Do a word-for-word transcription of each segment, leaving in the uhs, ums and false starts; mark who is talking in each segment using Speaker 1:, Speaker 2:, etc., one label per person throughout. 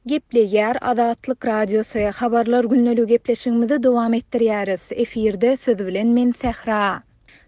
Speaker 1: Gepleýär Azatlyk Radiosy, Habarlar gündeligi gepleşigimizi dowam etdirýäris. Efirde siz bilen men Sähra.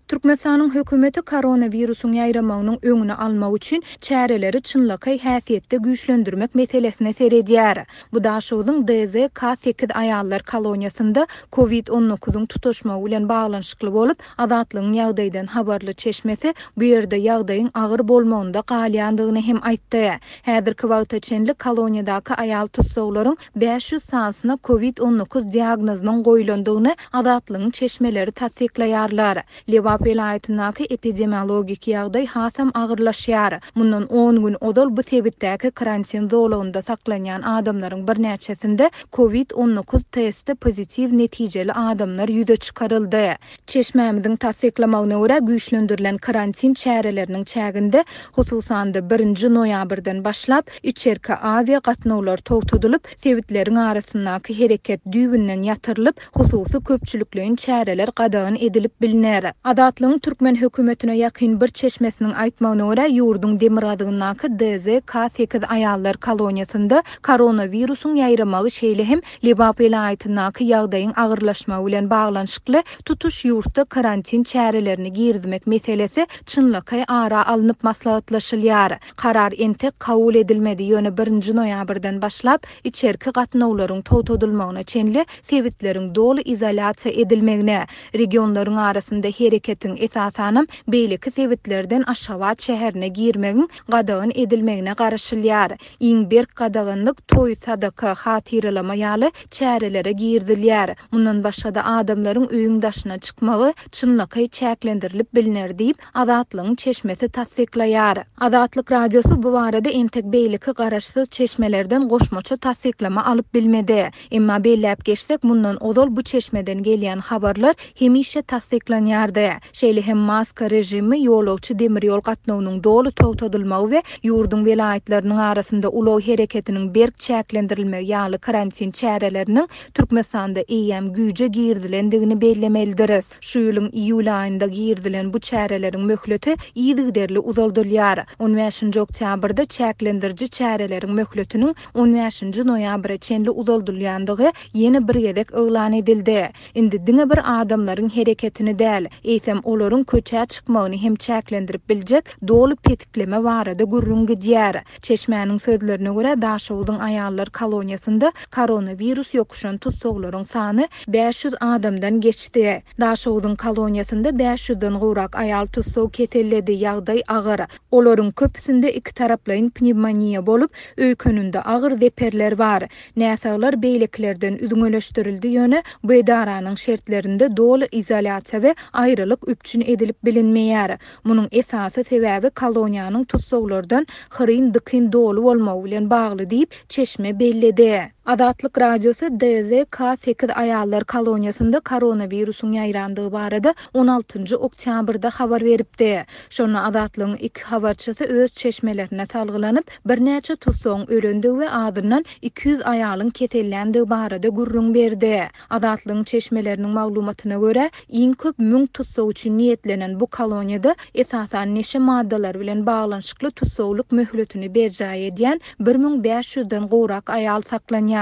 Speaker 1: Türkmenistanyň hökümeti koronawirusyň ýaýramagynyň öňüni almak üçin çäreleri çynlakaý häsiýetde güýçlendirmek meselesine seredýär. Bu Daşoguzyň D Z K sekiz aýallar koloniýasynda Covid on dokuzyň tutaşmagy bilen baglanyşykly bolup, Azatlygyň ýagdaýdan habarly çeşmesi bu ýerde ýagdaýyň agyr bolmagynda galýandygyny hem aýtdy. Häzirki wagta çenli koloniýadaky aýal tussaglaryň bäş ýüz sanysyna Covid on dokuz diagnozynyň goýulandygyny Azatlygyň çeşmeleri tassyklaýarlar. Lebap welaýatyndaky epidemiologik ýagdaý hasam agyrlaşýar. Mundan on gün ozal bu sebitdäki karantin zolagynda saklanýan adamlaryň birnäçesinde Covid on dokuz testi pozitiw netijeli adamlar ýüze çykaryldy. Çeşmämiziň tassyklamagyna görä güýçlendirilen karantin çäreleriniň çäginde hususan-da birinji noýabrdan başlap içerki awia gatnawlar togtadylyp, sebitleriň arasyndaky hereket düýbünden ýatyrylyp, hususy köpçülikleýin çäreler gadagan edilip biliner. Azatlygyň türkmen hökümetine ýakyn bir çeşmesiniň aýtmagyna görä ýurduň demirgazygyndaky D Z K sekiz aýallar koloniýasynda koronawirusyň ýaýramagy şeýle hem Lebap welaýatyndaky ýagdaýyň agyrlaşmagy bilen baglanyşykly tutuş ýurtda karantin çärelerini girizmek meselesi çynlakaý ara alnyp maslahatlaşylýar. Karar entek kabul edilmedi, ýöne birinji noýabrdan başlap içerki gatnawlaryň togtadylmagyna çenli sebitleriň doly izolýasiýa edilmegine, regionlaryň arasynda hereketiň esasanam beýleki sebitlerden Aşgabat şäherine girmegiň gadagan edilmegine garaşylýar. Iň berk gadaganlyk toý, sadaka, hatyralama ýaly çärelere girizilýär. Mundan başga da adamlaryň öýüň daşyna çykmagy çynlakaý çäklendirilip biliner diýip Azatlygyň çeşmesi tassyklaýar. Azatlyk Radiosy bu barada entek beýleki garaşsyz çeşmelerden goşmaça tassyklama alyp bilmedi. Emma belläp geçsek, mundan ozal bu çeşmeden gelýän habarlar hemişe tassyklanýardy. Şeýle hem maska rejimi, ýolagçy demir ýol gatnawynyň doly togtadylmagy we ýurduň welaýatlarynyň arasynda ulag hereketiniň berk çäklendirilmegi ýaly karantin çäreleriniň Türkmenistanda eýýäm güýje girizilendigini bellemelidiris. Şu ýylyň iýul aýynda girizilen bu çäreleriň möhleti yzygiderli uzaldylýar. on bäşinji oktýabrda çäklendiriji çäreleriň möhletiniň on bäşinji noýabra çenli uzaldylýandygy ýene bir gezek yglan edildi. Indi diňe bir adamlaryň hereketini däl, eýsem olaryň köçä çykmagyny hem çäklendirip biljek doly petikleme barada gürrüň gidýär. Çeşmäniň sözlerine görä Daşoguzyň aýallar koloniýasynda koronawirus ýokuşan tussaglaryň sany bäş ýüz adamdan geçdi. Daşoguzyň koloniýasynda bäş ýüzden gowrak aýal tussag keselledi, ýagdaý agyr. Olaryň köpüsinde iki taraplaýyn pnevmoniýa bolup, öýkönünde agyr zeperler bar. Näsaglar beýlekilerden üzňeleşdirildi, ýöne bu edaranyň şertlerinde doly izolýasiýa we aýrylyk üpjün edilip bilinmeýär. Munuň esasy sebäbi koloniýanyň tussaglardan hyryn dykyn doly bolmagy bilen bagly diýip çeşme belledi. Azatlyk Radiosy D Z K sekiz aýallar koloniýasynda koronawirusyň ýaýrandygy barada on altynjy oktýabrda habar beripdi. Şonda Azatlygyň iki habarçysy öz çeşmelerine salgylanyp, birnäçe tussagyň ölendigi we azyndan iki ýüz aýalyň keselländigi barada gürrüň berdi. Azatlygyň çeşmeleriniň maglumatyna görä, iň köp müň tussag üçin niýetlenen bu koloniýada esasan neşe maddalary bilen baglanyşykly tussaglyk möhletini berjaý edýän bir müň bäş ýüzden gowrak aýal saklanýar.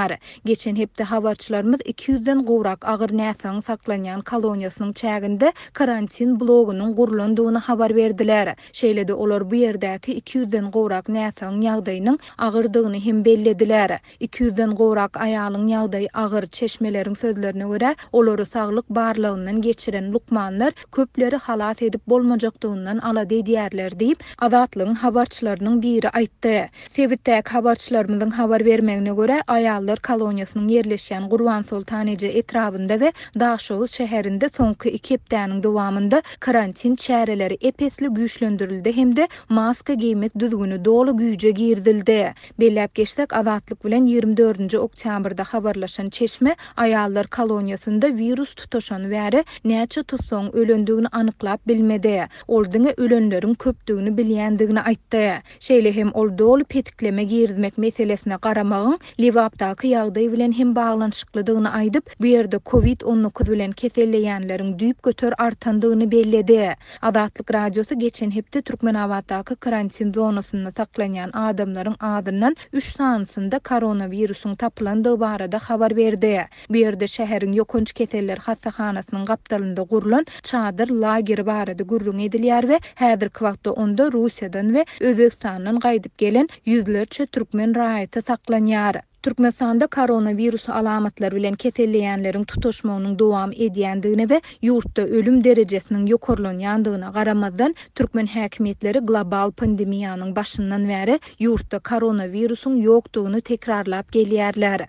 Speaker 1: Geçen hepde habarçylarymyz iki ýüzden gowrak agyr näsagyň saklanýan koloniýasynyň çäginde karantin blogunyň gurlandygyny habar berdiler. Şeýle-de olar bu ýerdäki iki ýüzden gowrak näsagyň ýagdaýynyň agyrdygyny hem bellediler. Iki ýüzden gowrak aýalyň ýagdaýy agyr, çeşmeleriň sözlerine görä, olary saglyk barlagyndan geçiren lukmanlar köpleri halas edip bolmajakdygyndan alada edýärler diýip, Azatlygyň habarçylarynyň biri aýtdy. Sebitdäki habarçylarymyzyň habar bermegine görä, aýallar koloniýasynyň ýerleşýän Gurbansoltan eje etrabynda we Daşoguz şäherinde soňky iki hepdäniň dowamynda karantin çäreleri epesli güýçlendirildi hem-de maska geýmek düzgüni doly güýje girizildi. Belläp geçsek, Azatlyk bilen ýigrimi dördünji oktýabrda habarlaşan çeşme aýallar koloniýasynda wirus tutaşany bäri näçe tussagyň ölendigini anyklap bilmedi. Ol diňe ölenleriň köpdügini bilýändigini aýtdy. Şeýle hem ol doly petikleme girizmek meselesine garamagyň Lebapdaky ýurtdaky ýagdaý bilen hem baglanyşyklydygyny aýdyp, bu ýerde Covid on dokuz bilen keselleýänleriň düýpgöter artandygyny belledi. Azatlyk Radiosy geçen hepde Türkmenabatdaky karantin zonasynda saklanýan adamlaryň azyndan üç sanysynda koronawirusyň tapylandygy barada habar berdi. Bu ýerde şäheriň ýokanç keseller hassahanasynyň gapdalynda gurlan çadyr lageri barada gürrüň edilýär we häzirki wagtda onda Russiýadan we Özbegistandan gaýdyp gelen ýüzlerçe türkmen raýaty saklanýar. Türkmenistanda koronavirus alamatlary bilen keselleýänleriň tutuşmagynyň dowam edýändigine we ýurtda ölüm derejesiniň ýokarlanýandygyna garamazdan, türkmen häkimiýetleri global pandemiýanyň başyndan bäri ýurtda koronawirusyň ýokdugyny tekrarlap gelýärler.